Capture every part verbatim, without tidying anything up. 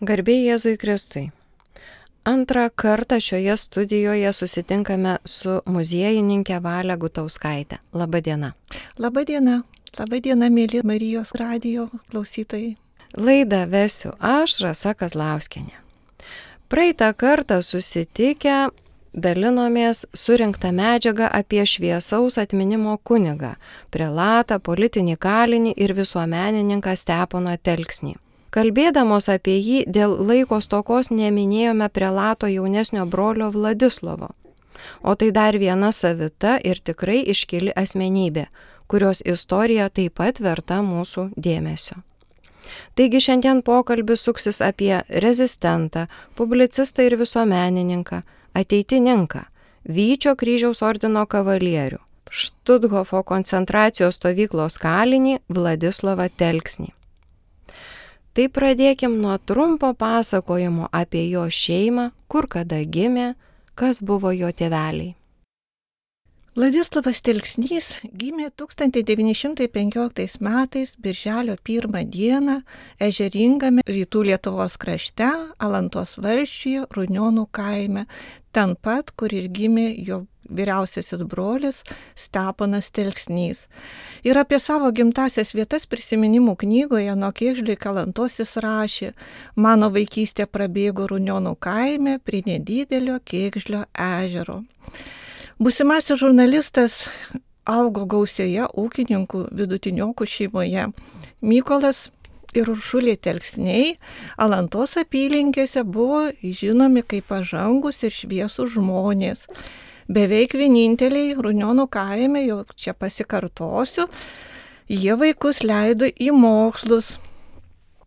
Garbė Jėzui Kristui. Antrą kartą šioje studijoje susitinkame su muziejininkė Valia Gutauskaitė. Labadiena. Labadiena. Labadiena, mėly Marijos radijo klausytojai. Laidą vesiu aš, Rasa Kazlauskienė. Praeitą kartą susitikę dalinomės surinktą medžiagą apie šviesaus atminimo kunigą, prelatą, politinį kalinį ir visuomenininką Steponą Telksnį. Kalbėdamos apie jį dėl laiko stokos neminėjome prelato jaunesnio brolio Vladislovo. O tai dar viena savita ir tikrai iškili asmenybė, kurios istorija taip pat verta mūsų dėmesio. Taigi šiandien pokalbis suksis apie rezistentą, publicistą ir visuomenininką, ateitininką, Vyčio kryžiaus ordino kavalierių, Štuthofo koncentracijos stovyklos kalinį Vladislovą Telksnį. Tai pradėkim nuo trumpo pasakojimo apie jo šeimą, kur kada gimė, kas buvo jo tėveliai. Vladislovas Telksnys gimė tūkstantis devyni šimtai penkioliktais metais birželio pirmą dieną ežeringame rytų Lietuvos krašte, Alantos valsčiuje, Runionių kaime, ten pat, kur ir gimė jo vyriausiasis brolis Steponas Telksnys. Ir apie savo gimtasias vietas prisiminimų knygoje Nuo Kėgžlio iki Alantos jis rašė: mano vaikystė prabėgo Runionių kaime prie nedidelio Kėgžlio ežero. Būsimasis žurnalistas augo gausioje ūkininkų vidutiniokų šeimoje. Mykolas ir Uršulė Telksniai Alantos apylinkėse buvo žinomi kaip pažangus ir šviesūs žmonės. Beveik vieninteliai Runionių kaime, jau čia pasikartosiu, jie vaikus leido į mokslus.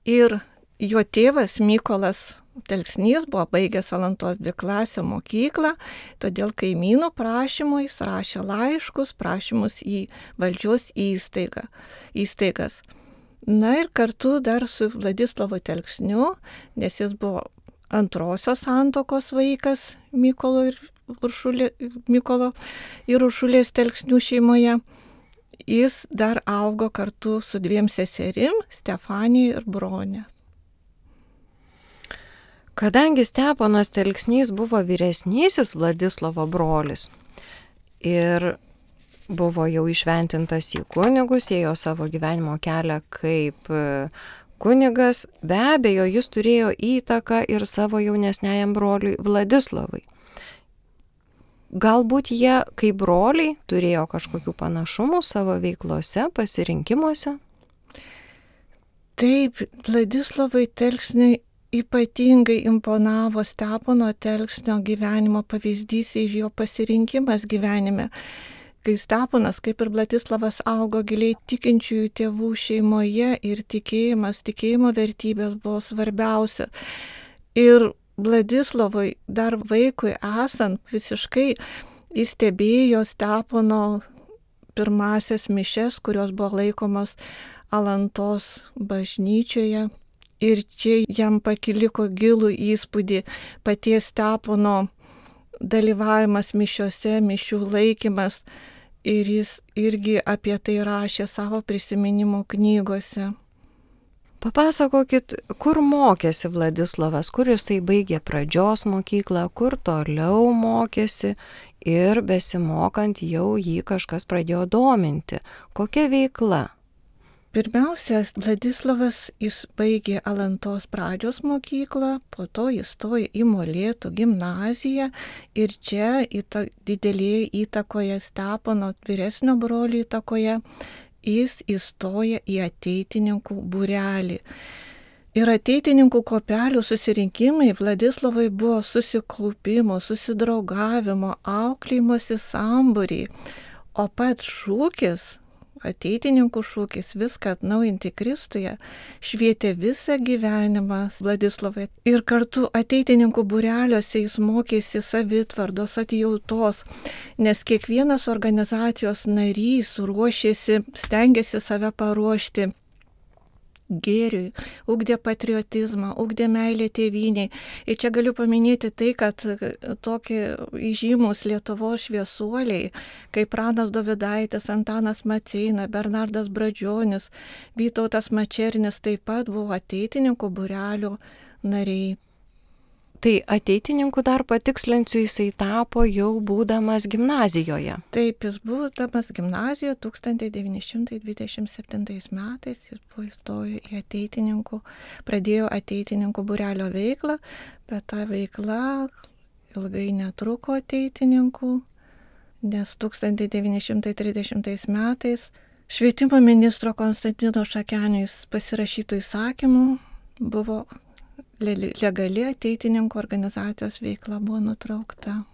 Ir jo tėvas Mykolas Telksnys buvo baigęs Alantos dviklasę mokyklą, todėl kaimynų prašymų jis rašė laiškus, prašymus į valdžios įstaigą, įstaigas. Na ir kartu dar su Vladislovu Telksniu, nes jis buvo antrosios santuokos vaikas Mykolo ir Uršulė, Mykolo ir Uršulės Telksnių šeimoje, jis dar augo kartu su dviem seserim, Stefanija ir Bronė. Kadangi Steponas Telksnys buvo vyresnysis Vladislovo brolis ir buvo jau išventintas į kunigus, ėjo savo gyvenimo kelią kaip kunigas, be abejo, jis turėjo įtaką ir savo jaunesniajam broliui Vladislovui. Galbūt jie, kaip broliai, turėjo kažkokių panašumų savo veiklose, pasirinkimuose? Taip, Vladislovui Telksniui ypatingai imponavo Stepono Telksnio gyvenimo pavyzdys ir jo pasirinkimas gyvenime. Kai Steponas, kaip ir Vladislovas, augo giliai tikinčiųjų tėvų šeimoje ir tikėjimas, tikėjimo vertybės buvo svarbiausia. Ir Vladislovui dar vaikui esant visiškai įstebėjo Stepono pirmasias mišias, kurios buvo laikomos Alantos bažnyčioje. Ir čia jam pakiliko gilų įspūdį paties Stepono dalyvavimas mišiose, mišių laikymas. Ir jis irgi apie tai rašė savo prisiminimų knygose. Papasakokit, kur mokėsi Vladislovas, kur jisai baigė pradžios mokyklą, kur toliau mokėsi ir besimokant jau jį kažkas pradėjo dominti. Kokia veikla? Pirmiausia, Vladislovas jis baigė Alantos pradžios mokyklą, po to jis stojo į Molėtų gimnaziją ir čia įta, didelėje įtakoje Stepono vyresnio brolio įtakoje jis įstoja į ateitininkų būrelį. Ir ateitininkų kopelių susirinkimai Vladislovui buvo susikaupimo, susidraugavimo, auklėjimosi sambūriai, o pats šūkis, ateitininkų šūkis viską atnaujinti Kristuje, švietė visą gyvenimą Vladislovui. Ir kartu ateitininkų būreliuose jis mokėsi savitvardos, atjautos, nes kiekvienas organizacijos narys ruošėsi, stengiasi save paruošti gėriui, ugdė patriotizmą, ugdė meilę tėvynei. Ir čia galiu paminėti tai, kad tokie įžymus Lietuvos šviesuoliai, kaip Pranas Dovydaitis, Antanas Maceina, Bernardas Brazdžionis, Vytautas Mačernis taip pat buvo ateitininkų būrelio nariai. Tai ateitininku dar patikslinsiu, jisai tapo jau būdamas gimnazijoje. Taip, jis būdamas gimnazijoje tūkstantis devyni šimtai dvidešimt septintais metais, jis buvo įstojo į ateitininkų, pradėjo ateitininkų būrelio veiklą, bet ta veikla ilgai netruko ateitininkų, nes tūkstantis devyni šimtai trisdešimtais metais švietimo ministro Konstantino Šakenio pasirašytų įsakymų buvo legali ateitininkų organizacijos veikla buvo nutraukta.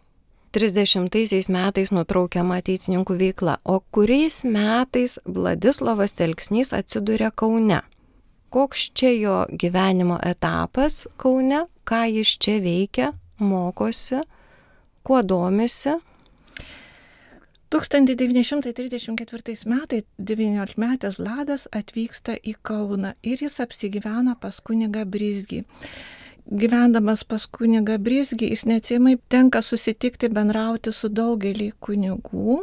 trisdešimtaisiais metais nutraukiama ateitininkų veikla, o kuriais metais Vladislovas Telksnys atsiduria Kaune? Koks čia jo gyvenimo etapas Kaune, ką jis čia veikia, mokosi, kuo domisi? tūkstantis devyni šimtai trisdešimt ketvirtais metais devyniolikmetis Vladas atvyksta į Kauną ir jis apsigyvena pas kunigą Brizgį. Gyvendamas pas kunigą Brizgį, jis neatsiejamai tenka susitikti, bendrauti su daugelį kunigų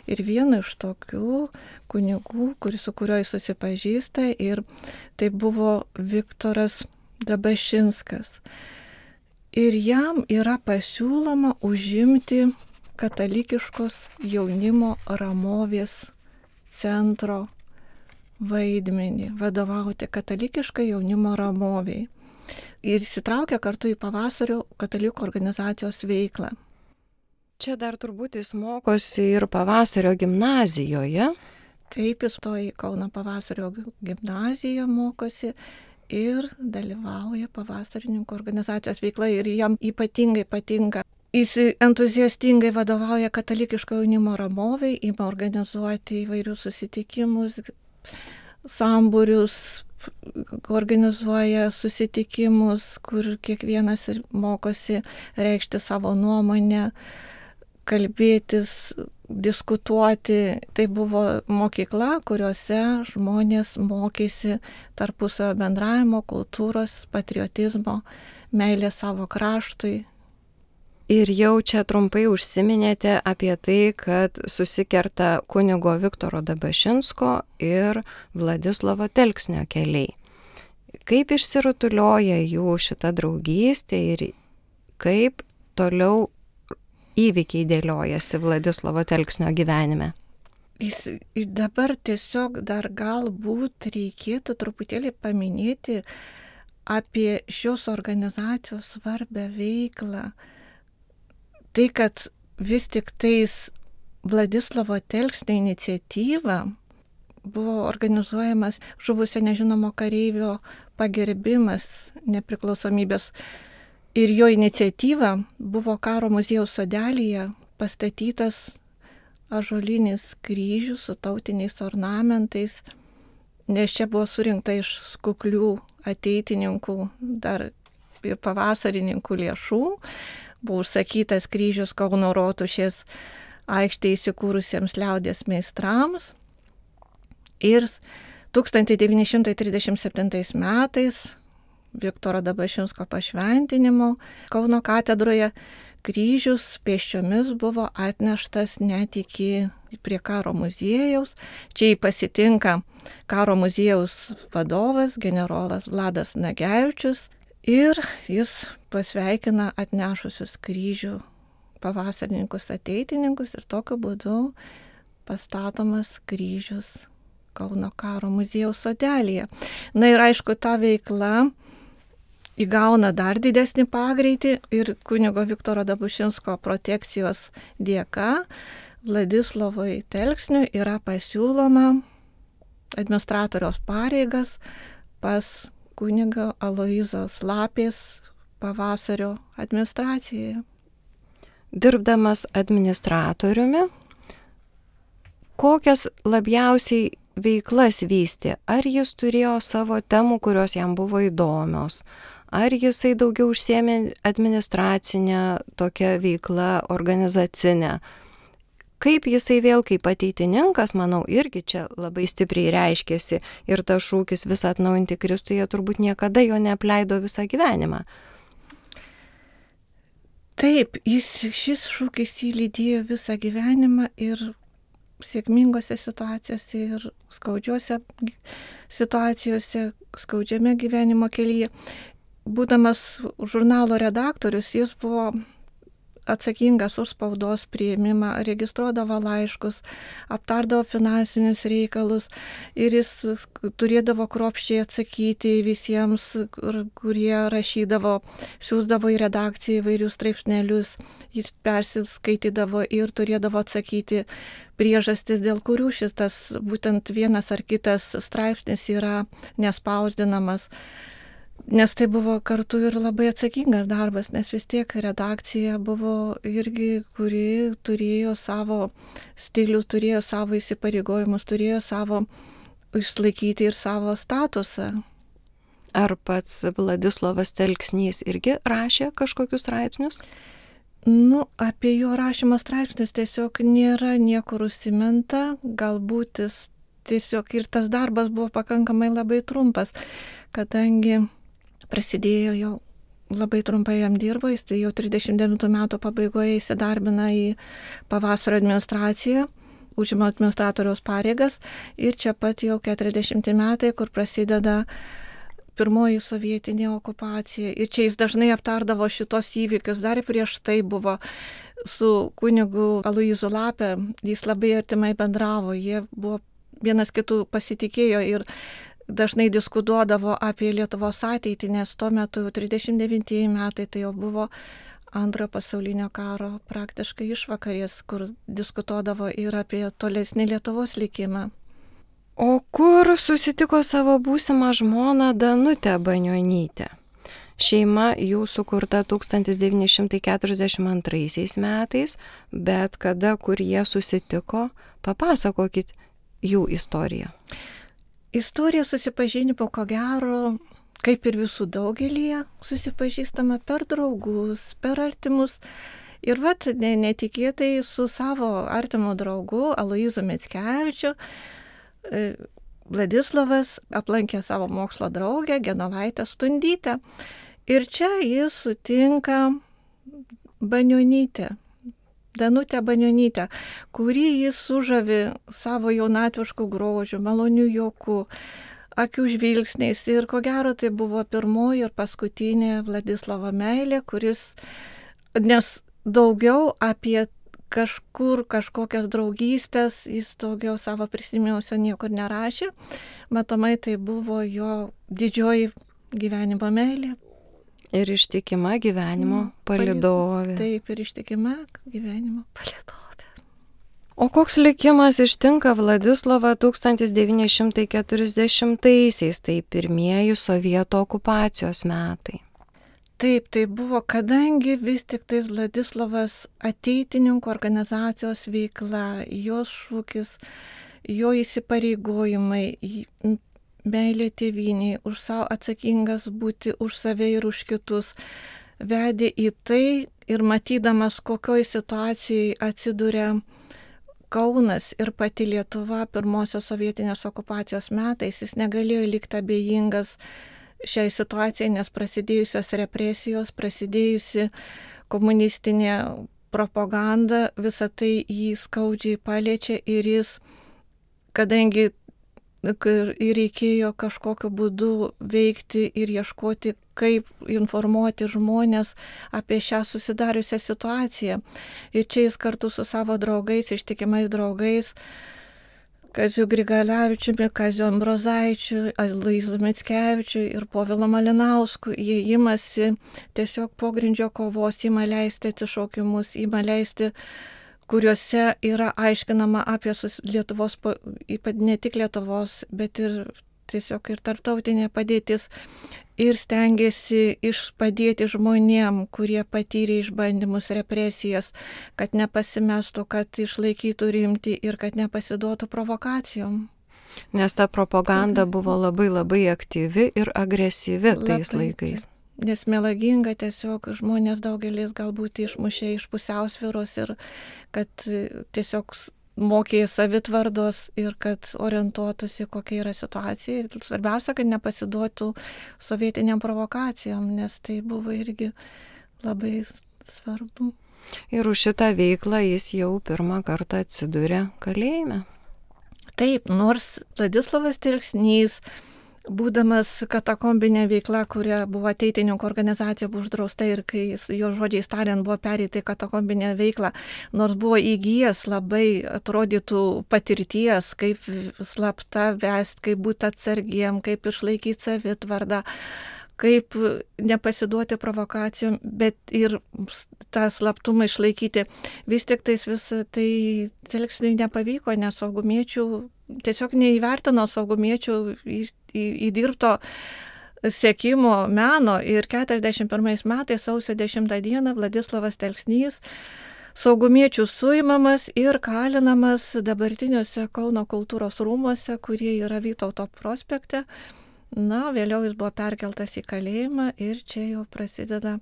ir vienu iš tokių kunigų, kuris, su kuriuo jis susipažįsta, ir tai buvo Viktoras Dabašinskas. Ir jam yra pasiūloma užimti katalikiškos jaunimo Ramovės centro vaidmenį, vadovauti katalikiškai jaunimo Ramoviai. Ir įsitraukia kartu į pavasario katalikų organizacijos veiklą. Čia dar turbūt jis mokosi ir pavasario gimnazijoje. Taip, jis to į Kauno pavasario gimnaziją mokosi ir dalyvauja pavasarininkų organizacijos veikla ir jam ypatingai patinka. Jis entuziastingai vadovauja katalikiško jaunimo Ramoviai, ima organizuoti įvairius susitikimus, sambūrius, organizuoja susitikimus, kur kiekvienas mokosi reikšti savo nuomonę, kalbėtis, diskutuoti. Tai buvo mokykla, kuriuose žmonės mokėsi tarpusavio bendravimo, kultūros, patriotizmo, meilės savo kraštui. Ir jau čia trumpai užsiminėte apie tai, kad susikerta kunigo Viktoro Dabašinsko ir Vladislovo Telksnio keliai. Kaip išsirutulioja jų šita draugystė ir kaip toliau įvykiai dėliojasi Vladislovo Telksnio gyvenime? Jis dabar tiesiog dar galbūt reikėtų truputėlį paminėti apie šios organizacijos svarbę veiklą. Tai, kad vis tik tais Vladislovo Telksnio iniciatyva buvo organizuojamas žuvusio nežinomo kareivio pagerbimas nepriklausomybės ir jo iniciatyva buvo Karo muziejaus sodelyje pastatytas ąžuolinis kryžius su tautiniais ornamentais, nes čia buvo surinkta iš kuklių ateitininkų dar ir pavasarininkų lėšų. Buvo užsakytas kryžius Kauno Rotušės aikštėje įsikūrusiems liaudies meistrams. Ir tūkstantis devyni šimtai trisdešimt septintais metais Viktoro Dabašinsko pašventinimo Kauno katedroje kryžius pėsčiomis buvo atneštas net iki prie Karo muziejaus. Čia jį pasitinka Karo muziejaus vadovas generolas Vladas Nagevičius. Ir jis pasveikina atnešusius kryžių pavasarininkus ateitininkus ir tokiu būdu pastatomas kryžius Kauno Karo muziejaus sodelyje. Na ir aišku, ta veikla įgauna dar didesnį pagreitį ir kunigo Viktoro Dabašinsko protekcijos dėka Vladislovui Telksniui yra pasiūloma administratoriaus pareigas pas kunigo Aloyzos Lapės pavasario administracijoje. Dirbdamas administratoriumi, kokias labiausiai veiklas vystė? Ar jis turėjo savo temų, kurios jam buvo įdomios? Ar jisai daugiau užsiėmė administracinę tokią veiklą, organizacinę? Kaip jisai vėl kaip ateitininkas, manau, irgi čia labai stipriai reiškėsi ir tas šūkis visą atnaujinti Kristuje turbūt niekada jo neapleido visą gyvenimą. Taip, jis, šis šūkis jį lydėjo visą gyvenimą ir sėkmingose situacijose ir skaudžiose situacijose, skaudžiame gyvenimo kelyje. būdamas žurnalo redaktorius, jis buvo atsakingas už spaudos priėmimą, registruodavo laiškus, aptardavo finansinius reikalus ir jis turėdavo kruopščiai atsakyti visiems, kurie rašydavo, siūsdavo į redakciją įvairius straipsnelius, jis persiskaitydavo ir turėdavo atsakyti priežastis, dėl kurių šis tas būtent vienas ar kitas straipsnis yra nespausdinamas. Nes tai buvo kartu ir labai atsakingas darbas, nes vis tiek redakcija buvo irgi, kuri turėjo savo stilių, turėjo savo įsipareigojimus, turėjo savo išlaikyti ir savo statusą. Ar pats Vladislovas Telksnys irgi rašė kažkokius straipsnius? Nu, apie jo rašymo straipsnius tiesiog nėra niekur užsiminta, galbūt jis tiesiog ir tas darbas buvo pakankamai labai trumpas, kadangi prasidėjo jau labai trumpai jam dirbo, jis tai jau trisdešimt devintų metų pabaigoje įsidarbina į pavasario administraciją, užima administratoriaus pareigas ir čia pat jau keturiasdešimti metai, kur prasideda pirmoji sovietinė okupacija. Ir čia jis dažnai aptardavo šitos įvykius, dar prieš tai buvo su kunigu Aloyzu Lape, jis labai artimai bendravo, jie buvo vienas kitų pasitikėjo ir dažnai diskutuodavo apie Lietuvos ateitį, nes tuo metu trisdešimt devintieji metai tai jau buvo antrojo pasaulinio karo praktiškai išvakarės, kur diskutuodavo ir apie tolesnį Lietuvos likimą. O kur susitiko savo būsimą žmoną Danutę Banionytę? Šeima jų sukurta tūkstantis devyni šimtai keturiasdešimt antraisiais metais, bet kada, kur jie susitiko, papasakokit jų istoriją. Istorija susipažinimo, ko gero, kaip ir visų daugelį, susipažįstama per draugus, per artimus. Ir vat netikėtai su savo artimu draugu Aloyzu Mickevičiu Vladislovas aplankė savo mokslo draugę Genovaitę Stundytę. Ir čia jis sutinka Banionytę. Danutę Banionytę, kurį jis sužavi savo jaunatvišku grožiu, maloniu juoku, akių žvilgsniais. Ir ko gero tai buvo pirmoji ir paskutinė Vladislovo meilė, kuris, nes daugiau apie kažkur kažkokias draugystės, jis daugiau savo prisiminimuose niekur nerašė. Matomai tai buvo jo didžioji gyvenimo meilė. Ir ištikima gyvenimo palydovė. Taip, ir ištikima gyvenimo palydovė. O koks likimas ištinka Vladislovą tūkstantis devyni šimtai keturiasdešimtaisiais, tai pirmieji sovietų okupacijos metai? Taip, tai buvo, kadangi vis tik tais Vladislovas ateitininkų organizacijos veikla, jos šūkis, jo įsipareigojimai, meilė tėvynei, už savo atsakingas būti už save ir už kitus, vedė į tai ir matydamas, kokioj situacijai atsiduria Kaunas ir pati Lietuva pirmosios sovietinės okupacijos metais, jis negalėjo likti abejingas šiai situacijai, nes prasidėjusios represijos, prasidėjusi komunistinė propaganda, visą tai jį skaudžiai paliečia ir jis, kadangi ir reikėjo kažkokiu būdu veikti ir ieškoti, kaip informuoti žmonės apie šią susidariusią situaciją. Ir čia jis kartu su savo draugais, ištikimais draugais, Kaziu Grigalevičiumi, Kaziu Ambrozaičiu, Aloyzu Mickevičiu ir Povilu Malinausku, jie imasi tiesiog pogrindžio kovos, ima leisti atsišaukimus, ima leisti, kuriuose yra aiškinama apie Lietuvos, ne tik Lietuvos, bet ir tiesiog ir tarptautinė padėtis. Ir stengiasi padėti žmonėm, kurie patyrė išbandymus, represijas, kad nepasimestų, kad išlaikytų rimtį ir kad nepasiduotų provokacijom. Nes ta propaganda buvo labai labai aktyvi ir agresyvi tais labai, laikais. Nes melaginga, tiesiog žmonės daugelis galbūt išmušė iš pusiausvyros ir kad tiesiog mokė savitvardos ir kad orientuotųsi, kokia yra situacija. Ir svarbiausia, kad nepasiduotų sovietiniam provokacijom, nes tai buvo irgi labai svarbu. Ir už šitą veiklą jis jau pirmą kartą atsidūrė kalėjime. Taip, nors Vladislovas Telksnys būdamas katakombinė veikla, kuria buvo ateitininkų organizacija, buvo uždrausta ir kai jo žodžiais tariant buvo pereita į katakombinę veiklą, nors buvo įgyjęs labai atrodytų patirties, kaip slapta vest, kaip būti atsargiem, kaip išlaikyti savitvardą, kaip nepasiduoti provokacijom, bet ir tą slaptumą išlaikyti. Vis tik tais visą tai Telksniui nepavyko, nes saugumiečių tiesiog neįvertino saugumiečių įdirbto sekimo meno ir keturiasdešimt pirmais metais sausio dešimtą dieną Vladislovas Telksnys saugumiečių suimamas ir kalinamas dabartiniuose Kauno kultūros rūmuose, kurie yra Vytauto prospekte. Na, vėliau jis buvo perkeltas į kalėjimą ir čia jau prasideda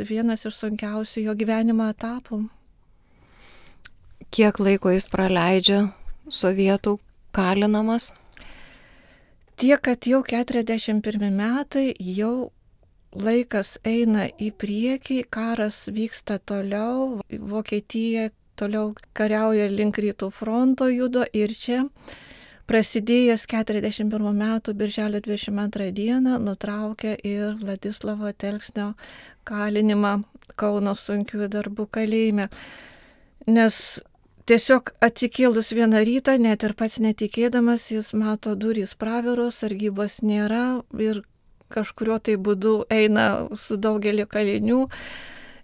vienas iš sunkiausių jo gyvenimo etapų. Kiek laiko jis praleidžia sovietų kalinamas? Tiek, kad jau keturiasdešimt pirmi metai, jau laikas eina į priekį, karas vyksta toliau, Vokietija toliau kariauja link rytų fronto judo ir čia prasidėjęs keturiasdešimt pirmų metų birželio dvidešimt antrą dieną nutraukė ir Vladislavo Telksnio kalinimą Kauno sunkiųjų darbų kalėjime. Nes tiesiog atsikėlus vieną rytą, net ir pats netikėdamas, jis mato durys praviros, sargybos nėra ir kažkurio tai būdu eina su daugeliu kalinių,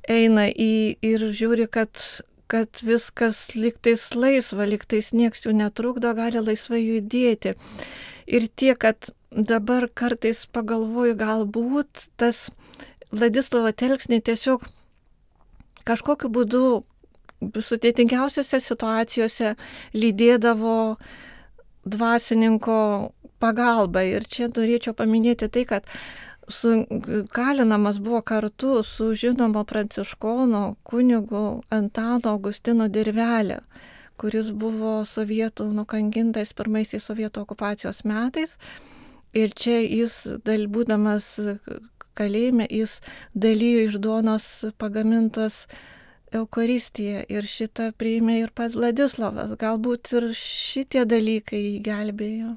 eina į ir žiūri, kad kad viskas lygtais laisva, lygtais nieks jų netrukdo, gali laisvai judėti. Ir tiek, kad dabar kartais pagalvoju, galbūt tas Vladislovo Telksnį tiesiog kažkokiu būdu sudėtingiausiose situacijose lydėdavo dvasininko pagalba. Ir čia norėčiau paminėti tai, kad su, kalinamas buvo kartu su žinomo pranciškono kunigu Antano Augustino Dirvelė, kuris buvo sovietų nukankintas pirmaisiais sovietų okupacijos metais. Ir čia jis, būdamas kalėjime, jis dalyjo iš duonos pagamintos Eucharistiją ir šitą priėmė ir pats Vladislavas. Galbūt ir šitie dalykai jį gelbėjo.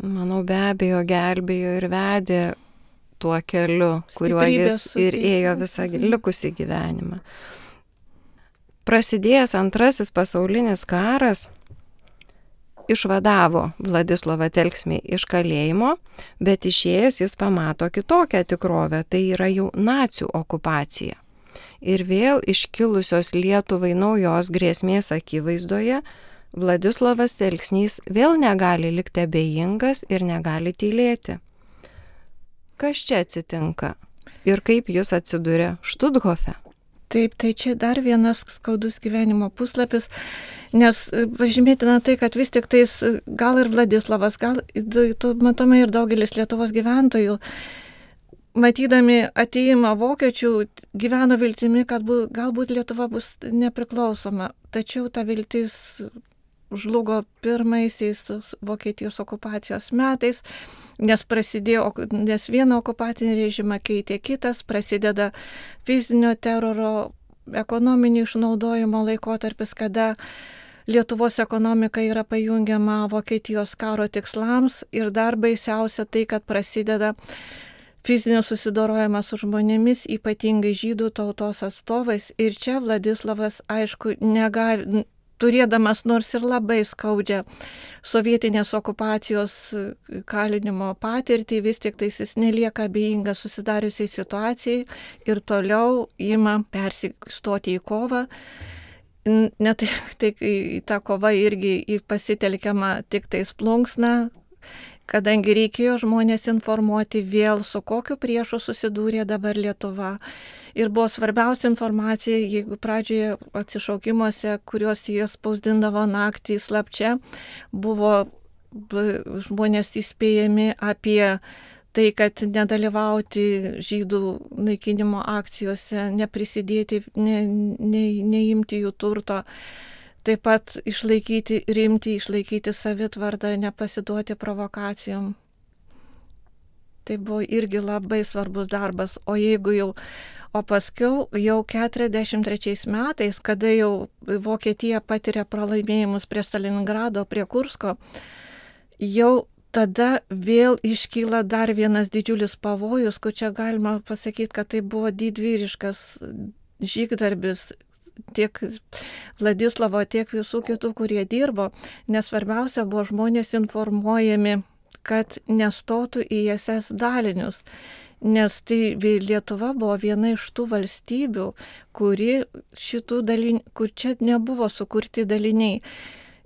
Manau, be abejo, gelbėjo ir vedė tuo keliu, kuriuo jis ir ėjo visą likusį gyvenimą. Prasidėjęs antrasis pasaulinis karas išvadavo Vladislovą Telksnį iš kalėjimo, bet išėjęs jis pamato kitokią tikrovę, tai yra jau nacių okupacija. Ir vėl iškilusios Lietuvai naujos grėsmės akivaizdoje Vladislovas Telksnys vėl negali likti abejingas ir negali tylėti. Kas čia atsitinka ir kaip jis atsiduria Štuthofe? Taip, tai čia dar vienas skaudus gyvenimo puslapis, nes pažymėtina tai, kad vis tik tais gal ir Vladislavas, gal tu matome ir daugelis Lietuvos gyventojų, matydami atėjimą vokiečių, gyveno viltimi, kad bu, galbūt Lietuva bus nepriklausoma, tačiau ta viltis žlugo pirmaisiais Vokietijos okupacijos metais, nes prasidėjo, nes vieną okupacinį režimą keitė kitas, prasideda fizinio teroro, ekonominio išnaudojimo laikotarpis, kada Lietuvos ekonomika yra pajungiama Vokietijos karo tikslams ir dar baisiausia tai, kad prasideda fizinis susidorojimas su žmonėmis, ypatingai žydų tautos atstovais. Ir čia Vladislavas, aišku, negali, turėdamas nors ir labai skaudžią sovietinės okupacijos kalinimo patirtį, vis tik tais jis nelieka abejingas susidariusiai situacijai ir toliau ima persistoti į kovą. Net tai, ta kova irgi pasitelkiama tik tais plunksna, kadangi reikėjo žmonės informuoti vėl, su kokiu priešu susidūrė dabar Lietuva. Ir buvo svarbiausia informacija, jeigu pradžioje atsišaukimuose, kuriuos jie spausdindavo naktį slapčia, buvo žmonės įspėjami apie tai, kad nedalyvauti žydų naikinimo akcijose, neprisidėti, ne, ne, neimti jų turto. Taip pat išlaikyti rimtį, išlaikyti savitvardą, nepasiduoti provokacijom. Tai buvo irgi labai svarbus darbas. O jeigu jau, o paskiau jau keturiasdešimt trečiais metais, kada jau Vokietija patiria pralaimėjimus prie Stalingrado, prie Kursko, jau tada vėl iškyla dar vienas didžiulis pavojus, kur čia galima pasakyti, kad tai buvo didvyriškas žygdarbis tiek Vladislovo, tiek visų kitų, kurie dirbo, nes svarbiausia buvo žmonės informuojami, kad nestotų į es es dalinius, nes tai Lietuva buvo viena iš tų valstybių, kuri šitų dalinių, kur čia nebuvo sukurti daliniai,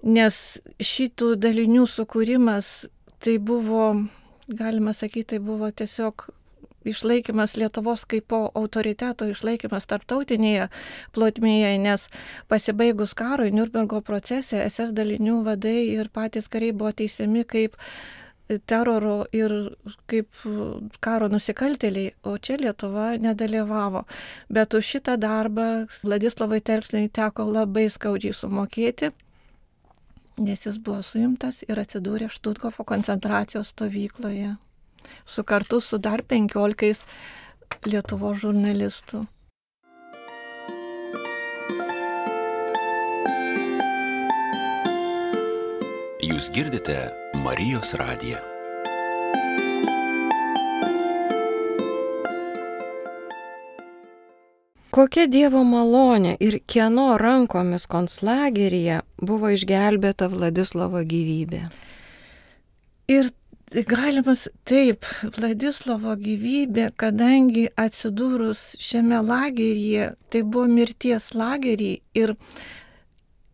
nes šitų dalinių sukūrimas tai buvo, galima sakyti, tai buvo tiesiog išlaikymas Lietuvos kaip po autoriteto, išlaikymas tarptautinėje plotmėje, nes pasibaigus karui Niurnbergo procese es es dalinių vadai ir patys kariai buvo teisiami kaip teroro ir kaip karo nusikaltėliai, o čia Lietuva nedalyvavo. Bet už šitą darbą Vladislovui Telksniui teko labai skaudžiai sumokėti, nes jis buvo suimtas ir atsidūrė Štuthofo koncentracijos stovykloje, su kartu su dar penkiolikais Lietuvos žurnalistų. Jūs girdite Marijos radiją. Kokia Dievo malonė ir kieno rankomis konclageryje buvo išgelbėta Vladislovo gyvybė? Ir galimas taip, Vladislovo gyvybė, kadangi atsidūrus šiame lageryje, tai buvo mirties lagerį ir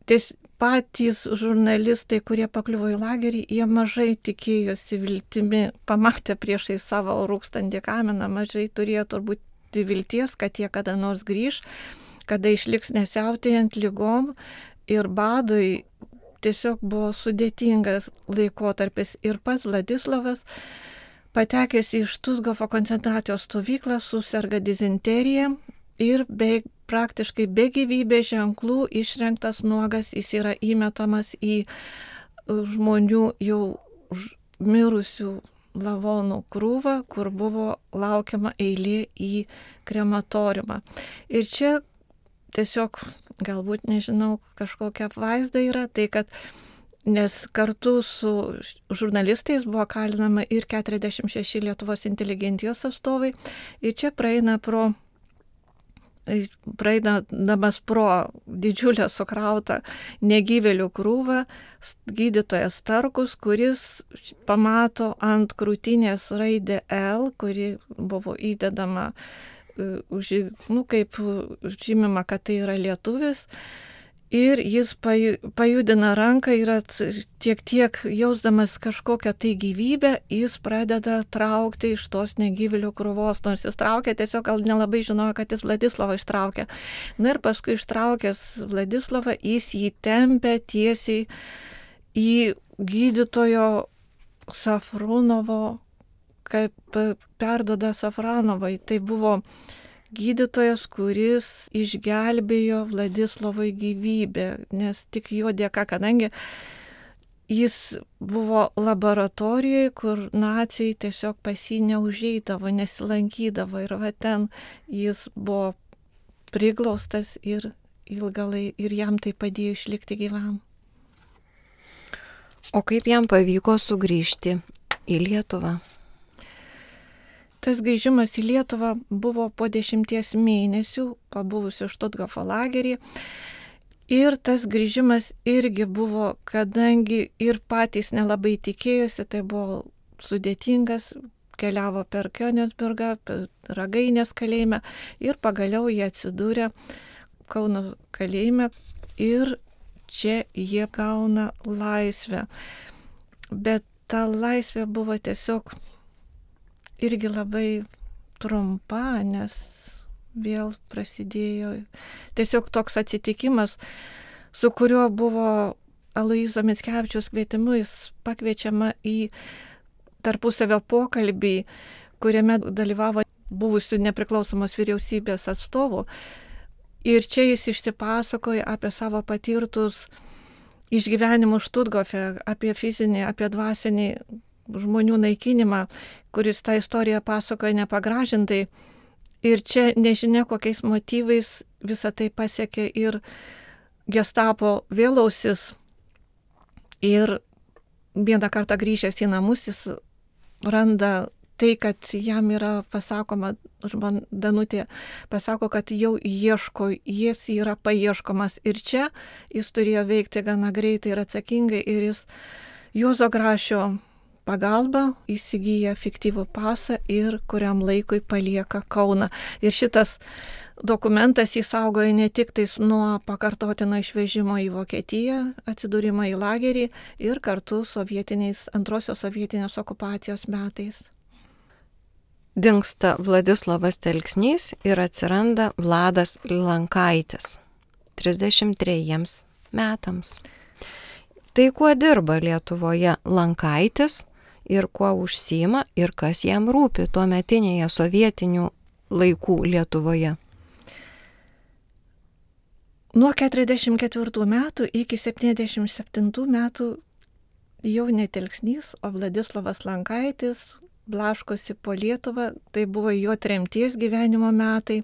ties, patys žurnalistai, kurie pakliuvo į lagerį, jie mažai tikėjosi viltimi, pamatę priešai savo rūkstantį kaminą, mažai turėjo turbūt vilties, kad jie kada nors grįž, kada išliks nesiautėjant lygom ir badui. Tiesiog buvo sudėtingas laikotarpis ir pats Vladislovas, patekęs į Štuthofo koncentracijos stovyklą, suserga dizenterija ir be, praktiškai be gyvybės ženklų išrengtas nuogas, jis yra įmetamas į žmonių jau mirusių lavonų krūvą, kur buvo laukiama eilė į krematoriumą. Ir čia tiesiog, galbūt, nežinau, kažkokia apvaizda yra, tai kad, nes kartu su žurnalistais buvo kalinama ir keturiasdešimt šeši Lietuvos inteligentijos atstovai, ir čia praeina pro praeidamas pro didžiulę sukrautą negyvėlių krūvą gydytojas Starkus, kuris pamato ant krūtinės raidę L, kuri buvo įdedama, nu, kaip žymima, kad tai yra lietuvis. Ir jis pajudina ranką ir tiek tiek jausdamas kažkokią tai gyvybę, jis pradeda traukti iš tos negyvėlių krūvos, nors jis traukia, tiesiog gal nelabai žinojo, kad jis Vladislovą ištraukė. Na ir paskui ištraukęs Vladislovą, jis jį tempia tiesiai į gydytojo Safronovo, kaip perduoda Safronovai. Tai buvo gydytojas, kuris išgelbėjo Vladislovui gyvybę, nes tik jo dėka, kadangi jis buvo laboratorijoje, kur naciai tiesiog pas jį neužeidavo, nesilankydavo ir va ten jis buvo priglaustas ir ilgalai ir jam tai padėjo išlikti gyvam. O kaip jam pavyko sugrįžti į Lietuvą? Tas grįžimas į Lietuvą buvo po dešimties mėnesių, pabuvusių Štuthofo lagerį. Ir tas grįžimas irgi buvo, kadangi ir patys nelabai tikėjosi, tai buvo sudėtingas, keliavo per Königsbergą, per Ragainės kalėjimą ir pagaliau jie atsidūrė Kauno kalėjime ir čia jie gauna laisvę. Bet ta laisvė buvo tiesiog irgi labai trumpa, nes vėl prasidėjo tiesiog toks atsitikimas, su kuriuo buvo Aloyzo Mickevičiaus kvietimu, jis pakviečiama į tarpusavio pokalbį, kuriame dalyvavo buvusių nepriklausomos vyriausybės atstovų. Ir čia jis išsipasakoja apie savo patirtus išgyvenimus Štuthofe, apie fizinį, apie dvasinį žmonių naikinimą, kuris tą istoriją pasakoja nepagražintai. Ir čia nežinia kokiais motyvais visą tai pasiekė ir Gestapo vėlausis. Ir vieną kartą grįžęs į namus, jis randa tai, kad jam yra pasakoma, žmona Danutė pasako, kad jau ieško, jis yra paieškomas. Ir čia jis turėjo veikti gana greitai ir atsakingai, ir jis Juozo Grašio pagalba įsigyja fiktyvų pasą ir kuriam laikui palieka Kauną. Ir šitas dokumentas jis saugoja ne tik tais nuo pakartotino išvežimo į Vokietiją, atsidūrimo į lagerį ir kartu sovietiniais, antrosios sovietinės okupacijos metais. Dingsta Vladislovas Telksnys ir atsiranda Vladas Lankaitis trisdešimt trejiems metams. Tai kuo dirba Lietuvoje Lankaitis ir kuo užsiima ir kas jam rūpi tuometinėje sovietinių laikų Lietuvoje? Nuo keturiasdešimt ketvirtų metų iki septyniasdešimt septintų metų jau ne Telksnys, o Vladislovas Lankaitis blaškosi po Lietuvą, tai buvo jo tremties gyvenimo metai.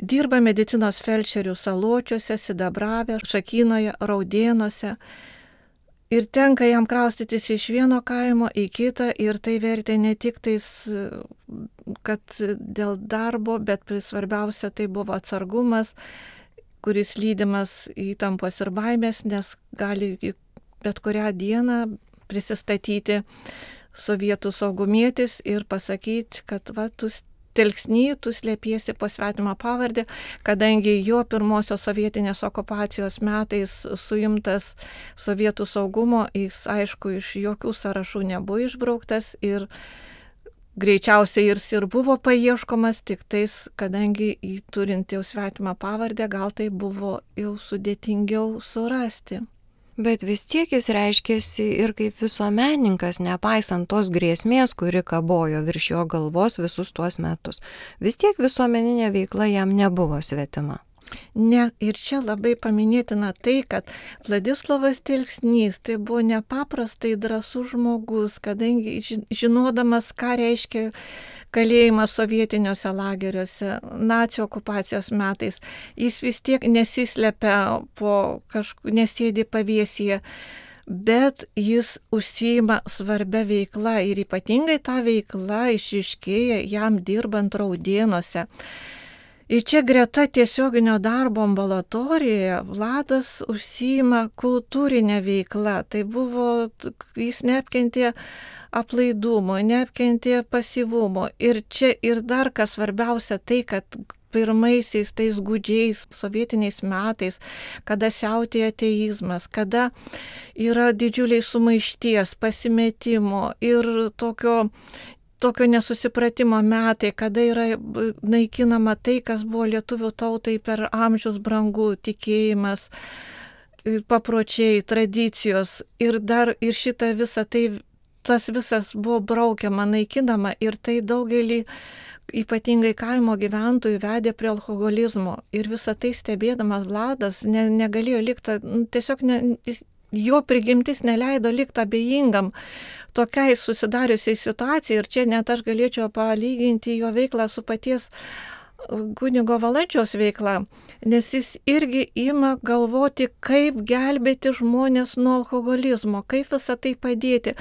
Dirba medicinos felčerių Saločiuose, Sidabrave, Šakynoje, Raudėnuose. Ir tenka jam kraustytis iš vieno kaimo į kitą ir tai vertė ne tik tais, kad dėl darbo, bet svarbiausia tai buvo atsargumas, kuris lydimas įtampos ir baimės, nes gali bet kurią dieną prisistatyti sovietų saugumietis ir pasakyti, kad va, tu Telksny, tu slėpiesi po svetimą pavardę, kadangi jo pirmosios sovietinės okupacijos metais suimtas sovietų saugumo, jis aišku iš jokių sąrašų nebuvo išbrauktas ir greičiausiai ir, ir buvo paieškomas, tik tais, kadangi turint jau svetimą pavardę, gal tai buvo jau sudėtingiau surasti. Bet vis tiek jis reiškėsi ir kaip visuomenininkas, nepaisant tos grėsmės, kuri kabojo virš jo galvos visus tuos metus. Vis tiek visuomeninė veikla jam nebuvo svetima. Ne, ir čia labai paminėtina tai, kad Vladislovas Telksnys tai buvo nepaprastai drąsus žmogus, kadangi žinodamas, ką reiškia kalėjimas sovietiniuose lageriuose, nacių okupacijos metais, jis vis tiek nesislepia po kažkur, nesėdi pavėsyje, bet jis užsiima svarbia veikla ir ypatingai ta veikla išryškėja jam dirbant Raudėnuose. Ir čia greta tiesioginio darbo ambulatorijoje Vladas užsiima kultūrinę veiklą. Tai buvo, jis neapkentė aplaidumo, neapkentė pasyvumo. Ir čia ir dar kas svarbiausia tai, kad pirmaisiais tais gūdžiais sovietiniais metais, kada siautėja ateizmas, kada yra didžiuliai sumaišties, pasimetimo ir tokio tokio nesusipratimo metai, kada yra naikinama tai, kas buvo lietuvių tautai per amžius brangu, tikėjimas, papročiai, tradicijos ir dar ir šitą visą tai, tas visas buvo braukiama, naikinama ir tai daugelį ypatingai kaimo gyventojų vedė prie alkoholizmo ir visą tai stebėdamas Vladas ne, negalėjo likti, tiesiog ne, jo prigimtis neleido likti abejingam tokiai susidariusiai situacijai ir čia net aš galėčiau palyginti jo veiklą su paties kunigo Valančiaus veikla, nes jis irgi ima galvoti, kaip gelbėti žmonės nuo alkoholizmo, kaip visą tai padėti.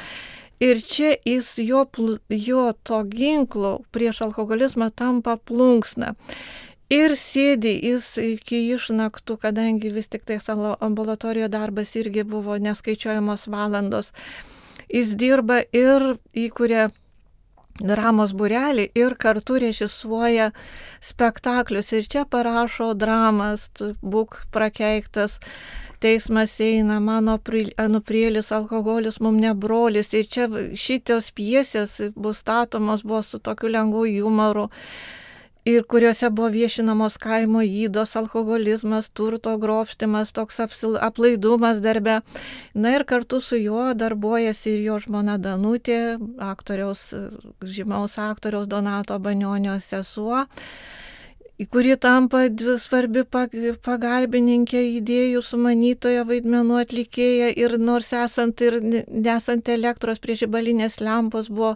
Ir čia jis jo, jo to ginklo prieš alkoholizmą tampa plunksna. Ir sėdi jis iki išnaktų, kadangi vis tik tai ambulatorijoje darbas irgi buvo neskaičiuojamos valandos. Jis dirba ir įkuria dramos būrelį ir kartu režisuoja spektaklius. Ir čia parašo dramas, būk prakeiktas, teismas eina, mano anuprėlis, alkoholis, mum ne brolis. Ir čia šitos pjesės bus statomos, buvo su tokiu lengvu jumoru. Ir kuriuose buvo viešinamos kaimo ydos, alkoholizmas, turto grobštimas, toks aplaidumas darbe. Na ir kartu su juo darbuojasi ir jo žmona Danutė, aktoriaus, žymaus aktoriaus Donato Banionio sesuo, kuri tampa svarbi pagalbininkė, idėjų sumanytoja, vaidmenų atlikėja ir nors esant ir nesant elektros prie žibalinės lempos buvo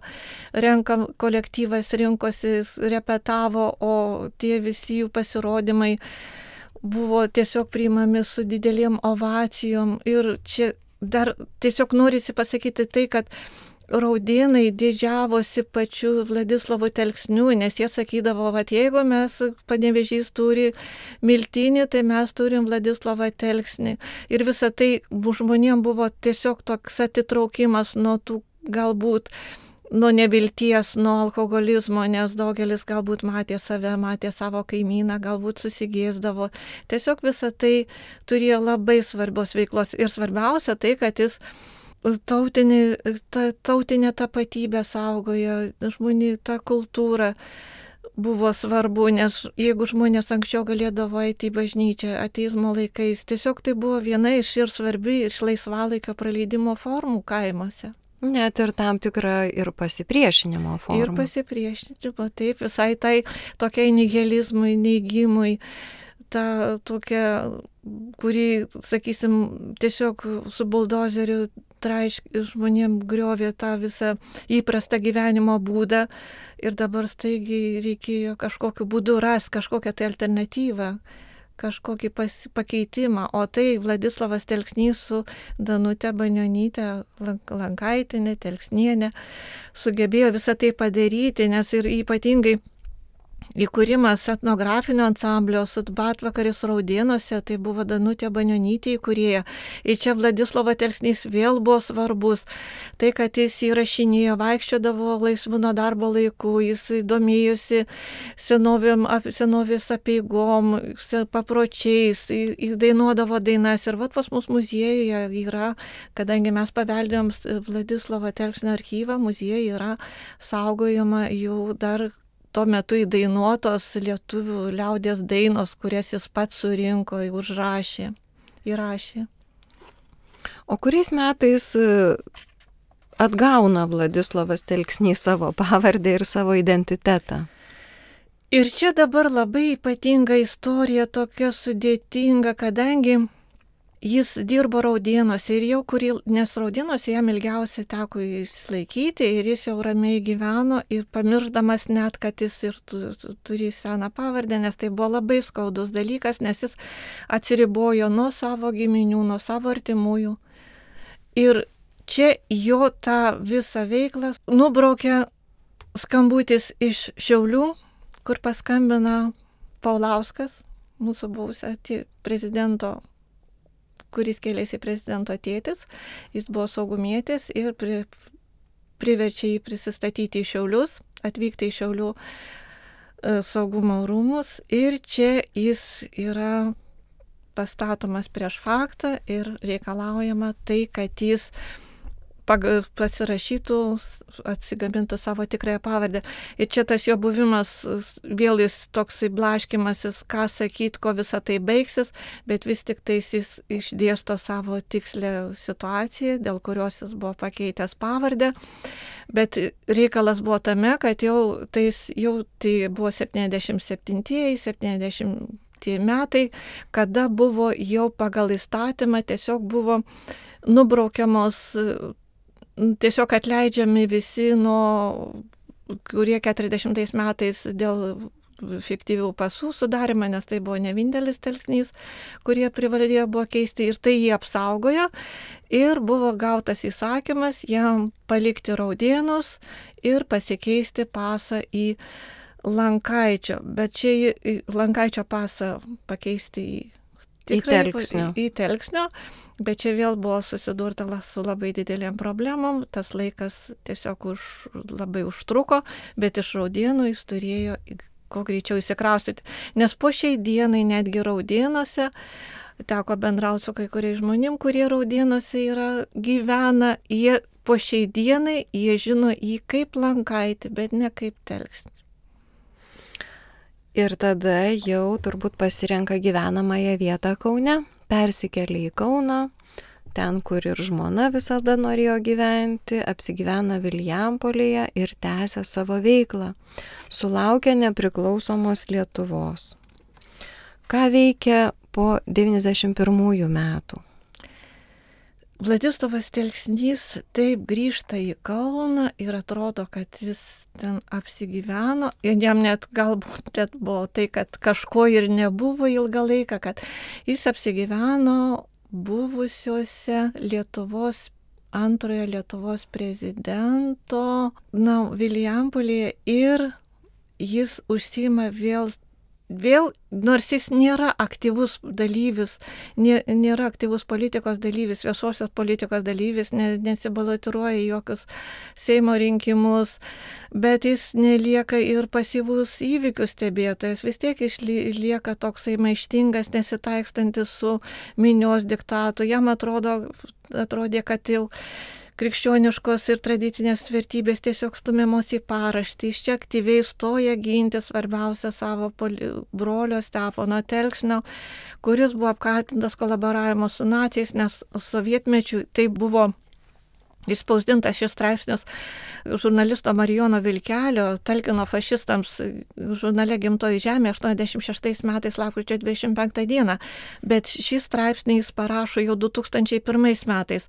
renkam, kolektyvas rinkosi, repetavo, o tie visi jų pasirodymai buvo tiesiog priimami su didelėm ovacijom ir čia dar tiesiog norisi pasakyti tai, kad Raudėnai didžiavosi pačiu Vladislovu Telksniu, nes jie sakydavo, kad jeigu mes Panevėžys turi miltinį, tai mes turim Vladislovą Telksnį. Ir visa tai žmonėm buvo tiesiog toks atitraukimas nuo tų galbūt nuo nevilties, nuo alkoholizmo, nes daugelis galbūt matė save, matė savo kaimyną, galbūt susigėsdavo. Tiesiog visa tai turėjo labai svarbios veiklos. Ir svarbiausia tai, kad jis tautinį, ta, tautinę tapatybę saugojo, žmonių tą kultūrą buvo svarbu, nes jeigu žmonės anksčiau galėdavo eiti į bažnyčią ateizmo laikais, tiesiog tai buvo viena iš ir svarbi iš laisvalaikio praleidimo formų kaimuose. Net ir tam tikra ir pasipriešinimo forma. Ir pasipriešinimo, taip, visai tai tokiai nihilizmui, neigimui, ta tokia, kurį, sakysim, tiesiog su buldozeriu traišk žmonėm griovė tą visą įprastą gyvenimo būdą ir dabar staigiai reikėjo kažkokiu būdu rasti kažkokią tai alternatyvą, kažkokį pas, pakeitimą. O tai Vladislovas Telksnys su Danute Banionyte Lankaitienė, Telksnienė sugebėjo visą tai padaryti, nes ir ypatingai įkūrimas etnografinio ansamblio Sudbatvakaris Raudėnuose, tai buvo Danutė Banionytė įkūrėja. Ir čia Vladislovo Telksnys vėl buvo svarbus. Tai, kad jis įrašinėjo, vaikščiodavo laisvu nuo darbo laiku, jis domėjosi senovėm, senovės apeigom, papročiais, įdainuodavo dainas. Ir vat pas mus muziejuje yra, kadangi mes paveldėjom Vladislovo Telksnio archyvą, muziejuje yra saugojama jau dar tuo metu įdainuotos lietuvių liaudies dainos, kurias jis pats surinko, užrašė, įrašė. O kuriais metais atgauna Vladislovas Telksnys savo pavardę ir savo identitetą? Ir čia dabar labai ypatinga istorija, tokia sudėtinga, kadangi jis dirbo Raudėnuose ir jau kurį, nes Raudėnuose jam ilgiausiai teko išlaikyti ir jis jau ramiai gyveno ir pamiršdamas net, kad jis ir turi seną pavardę, nes tai buvo labai skaudus dalykas, nes jis atsiribojo nuo savo giminių, nuo savo artimųjų. Ir čia jo tą visą veiklą nubraukė skambutis iš Šiaulių, kur paskambina Paulauskas, mūsų buvusio prezidento, kuris kėlėsi prezidento tėtis, jis buvo saugumietis ir pri, priverčia jį prisistatyti į Šiaulius, atvykti į Šiaulių e, saugumo rūmus ir čia jis yra pastatomas prieš faktą ir reikalaujama tai, kad jis pasirašytų, atsigamintų savo tikrąją pavardę. Ir čia tas jo buvimas, vėl jis toksai blaškimasis, ką sakyti, ko visa tai baigsis, bet vis tik tais jis išdėsto savo tikslę situaciją, dėl kurios jis buvo pakeitęs pavardę. Bet reikalas buvo tame, kad jau, tais, jau tai buvo septyniasdešimt septintieji, septyniasdešimtieji metai, kada buvo jau pagal įstatymą tiesiog buvo nubraukiamos, tiesiog atleidžiami visi, nuo, kurie keturiasdešimtais metais dėl fiktyvių pasų sudarymą, nes tai buvo ne vienintelis Telksnys, kurie privalėjo buvo keisti ir tai jį apsaugojo ir buvo gautas įsakymas jam palikti Raudėnus ir pasikeisti pasą į Lankaičio, bet čia į Lankaičio pasą pakeisti į, tikrai, į Telksnio. Į, į Telksnio. Bet čia vėl buvo susidurta su labai didelėm problemom, tas laikas tiesiog už, labai užtruko, bet iš Raudėnų jis turėjo kuo greičiau įsikraustyti. Nes po šiai dienai netgi Raudėnuose teko bendrauti su kai kuriais žmonėm, kurie Raudėnuose yra, gyvena, jie po šiai dienai jie žino jį kaip Lankaitį, bet ne kaip Telksnį. Ir tada jau turbūt pasirenka gyvenamąją vietą Kaune. Persikelia į Kauną, ten, kur ir žmona visada norėjo gyventi, apsigyvena Vilijampolėje ir tęsia savo veiklą. Sulaukia nepriklausomos Lietuvos. Ką veikia po devyniasdešimt pirmųjų metų? Vladislovas Telksnys taip grįžta į Kauną ir atrodo, kad jis ten apsigyveno. Ir jam net galbūt net buvo tai, kad kažko ir nebuvo ilgą laiką, kad jis apsigyveno buvusiuose Lietuvos, antrojo Lietuvos prezidento, na, Vilijampolėje, ir jis užsiima vėl Vėl, nors jis nėra aktyvus dalyvis, nė, nėra aktyvus politikos dalyvis, viešosios politikos dalyvis, ne, nesibalotiruoja į jokius Seimo rinkimus, bet jis nelieka ir pasyvus įvykių stebėtojas, vis tiek išlieka toksai maištingas, nesitaikstantis su minios diktatu. Jam atrodo, atrodė, kad jau krikščioniškos ir tradicinės vertybės tiesiog stumiamos į paraštį. Iš čia aktyviai stoja ginti svarbiausia savo poli... brolio Stepono Telksnio, kuris buvo apkaltintas kolaboravimo su naciais, nes sovietmečiu tai buvo išspausdintas šis straipsnis žurnalisto Marijono Vilkelio, talkino fašistams žurnale Gimtoji žemė aštuoniasdešimt šeštais metais lapkričio dvidešimt penktą dieną, bet šį straipsnį jis parašo jau du tūkstančiai pirmais metais,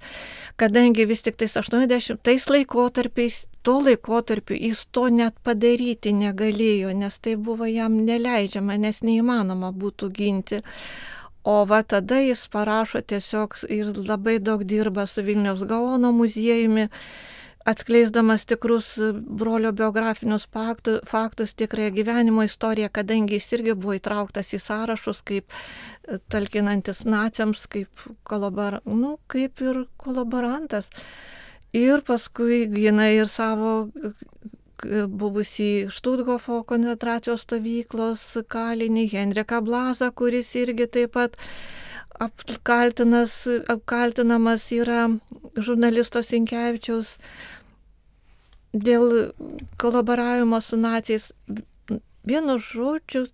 kadangi vis tik tais aštuoniasdešimtais laikotarpiais, tuo laikotarpiu jis to net padaryti negalėjo, nes tai buvo jam neleidžiama, nes neįmanoma būtų ginti. O va tada jis parašo tiesiog ir labai daug dirba su Vilniaus Gaono muziejumi, atskleisdamas tikrus brolio biografinius faktus, faktus tikrąją gyvenimo istoriją, kadangi jis irgi buvo įtrauktas į sąrašus kaip talkinantis naciams, kaip, kolabor, nu, kaip ir kolaborantas. Ir paskui gina ir savo buvusį Štuthofo koncentracijos stovyklos kalinį Henriką Blazą, kuris irgi taip pat apkaltinas, apkaltinamas yra žurnalisto Sinkevičiaus dėl kolaboravimo su naciais. Vienu žodžiu,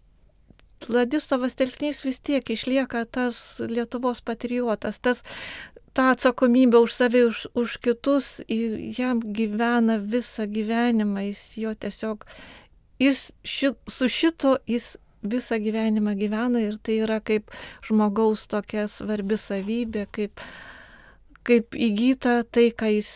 Vladislavas Telksnys vis tiek išlieka tas Lietuvos patriotas, tas tą atsakomybę už save, už, už kitus, jam gyvena visą gyvenimą, jis jo tiesiog, jis ši, su šito jis visą gyvenimą gyvena ir tai yra kaip žmogaus tokia svarbi savybė, kaip, kaip įgyta tai, ką jis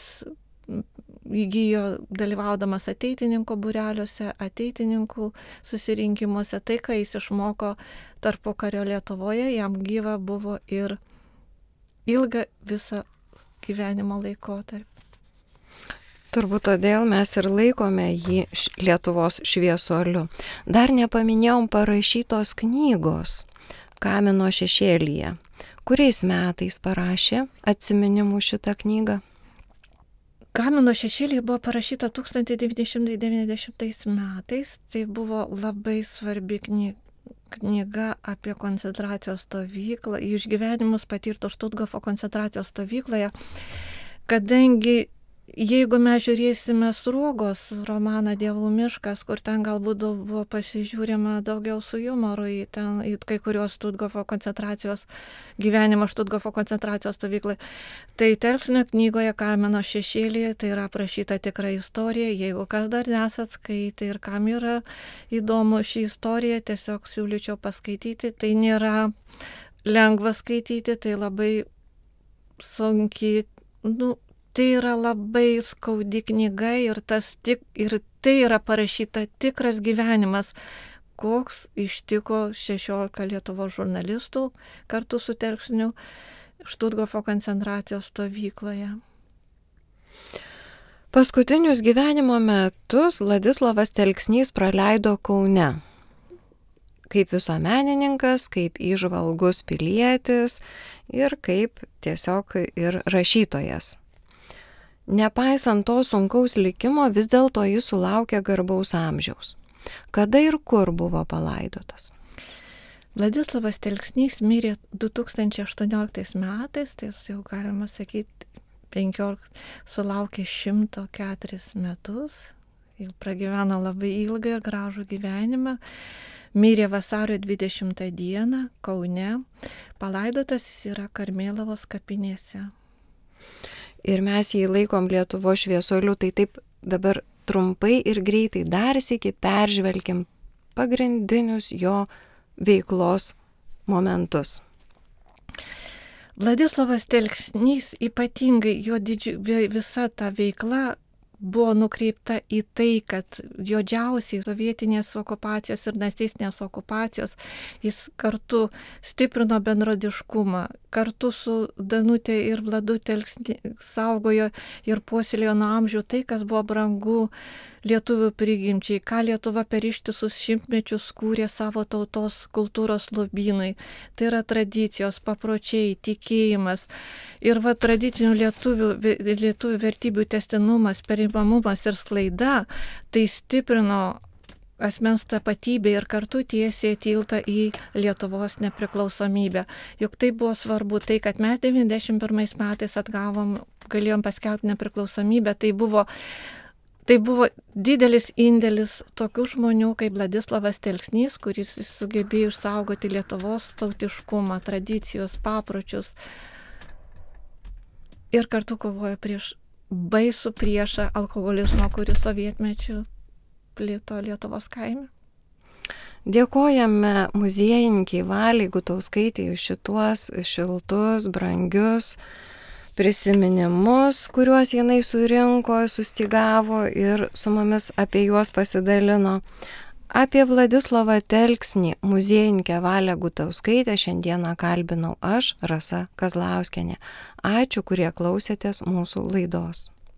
įgyjo dalyvaudamas ateitininkų būreliuose, ateitininkų susirinkimuose, tai, ką jis išmoko tarpukario Lietuvoje, jam gyva buvo ir ilgą visą gyvenimo laikotarpį. Turbūt todėl mes ir laikome jį Lietuvos šviesuoliu. Dar nepaminėjom parašytos knygos Kamino šešėlyje. Kuriais metais parašė atsiminimų šitą knygą? Kamino šešėlyje buvo parašyta tūkstantis devyni šimtai devyniasdešimtais metais. Tai buvo labai svarbi knyga. knyga apie koncentracijos stovyklą, išgyvenimus patirto Štuthofo koncentracijos stovykloje, kadangi jeigu mes žiūrėsime Sruogos romaną Dievų miškas, kur ten galbūt buvo pasižiūrima daugiau su jumoru į, ten, į kai kurios Štuthofo koncentracijos gyvenimą Štuthofo koncentracijos stovyklai, tai Telksnio knygoje Kamino šešėlyje tai yra aprašyta tikra istorija. Jeigu kas dar nesat skaitę ir kam yra įdomu ši istorija, tiesiog siūlyčiau paskaityti. Tai nėra lengva skaityti, tai labai sunkiai, nu, tai yra labai skaudi knyga ir, tas tik, ir tai yra parašyta tikras gyvenimas, koks ištiko šešiolika Lietuvos žurnalistų kartu su Telksniu Štuthofo koncentracijos stovykloje. Paskutinius gyvenimo metus Vladislavas Telksnys praleido Kaune. Kaip visuomenininkas, kaip įžvalgus pilietis ir kaip tiesiog ir rašytojas. Nepaisant to sunkaus likimo, vis dėlto jis sulaukė garbaus amžiaus. Kada ir kur buvo palaidotas? Vladislavas Telksnys mirė du tūkstančiai aštuonioliktais metais, tai jau galima sakyti, penkiolika, sulaukė šimto keturis metus, jau pragyveno labai ilgą ir gražų gyvenimą, mirė vasario dvidešimtą dieną Kaune, palaidotas jis yra Karmėlavos kapinėse. Ir mes jį laikom Lietuvos šviesuoliu, tai taip dabar trumpai ir greitai dar sykį peržvelkim pagrindinius jo veiklos momentus. Vladislavas Telksnys, ypatingai jo didži, visa ta veikla buvo nukreipta į tai, kad juodžiausiai sovietinės okupacijos ir nacistinės okupacijos jis kartu stiprino bendrodiškumą, kartu su Danutė ir Vladu Telksny saugojo ir puoselėjo nuo amžių tai, kas buvo brangu lietuvių prigimčiai, ką Lietuva per ištisus šimtmečius kūrė savo tautos kultūros lobynui. Tai yra tradicijos, papročiai, tikėjimas. Ir va tradicinių lietuvių, lietuvių vertybių tęstinumas, perimamumas ir sklaida, tai stiprino asmens tapatybė ir kartu tiesė tiltą į Lietuvos nepriklausomybę. Juk tai buvo svarbu, tai kad mes devyniasdešimt pirmais metais atgavom, galėjom paskelbti nepriklausomybę, tai buvo, tai buvo didelis indėlis tokių žmonių kaip Vladislavas Telksnys, kuris sugebėjo išsaugoti Lietuvos tautiškumą, tradicijos, papročius ir kartu kovojo prieš baisų priešą alkoholizmo, kuris sovietmečiu plito Lietuvos kaime. Dėkojame muziejininkiai Valiai Gutauskaitei už šituos šiltus, brangius prisiminimus, kuriuos jinai surinko, sustygavo ir su mumis apie juos pasidalino. Apie Vladislavą Telksnį muziejininkę Valią Gutauskaitę šiandieną kalbinau aš, Rasa Kazlauskienė. Ačiū, kurie klausėtės mūsų laidos.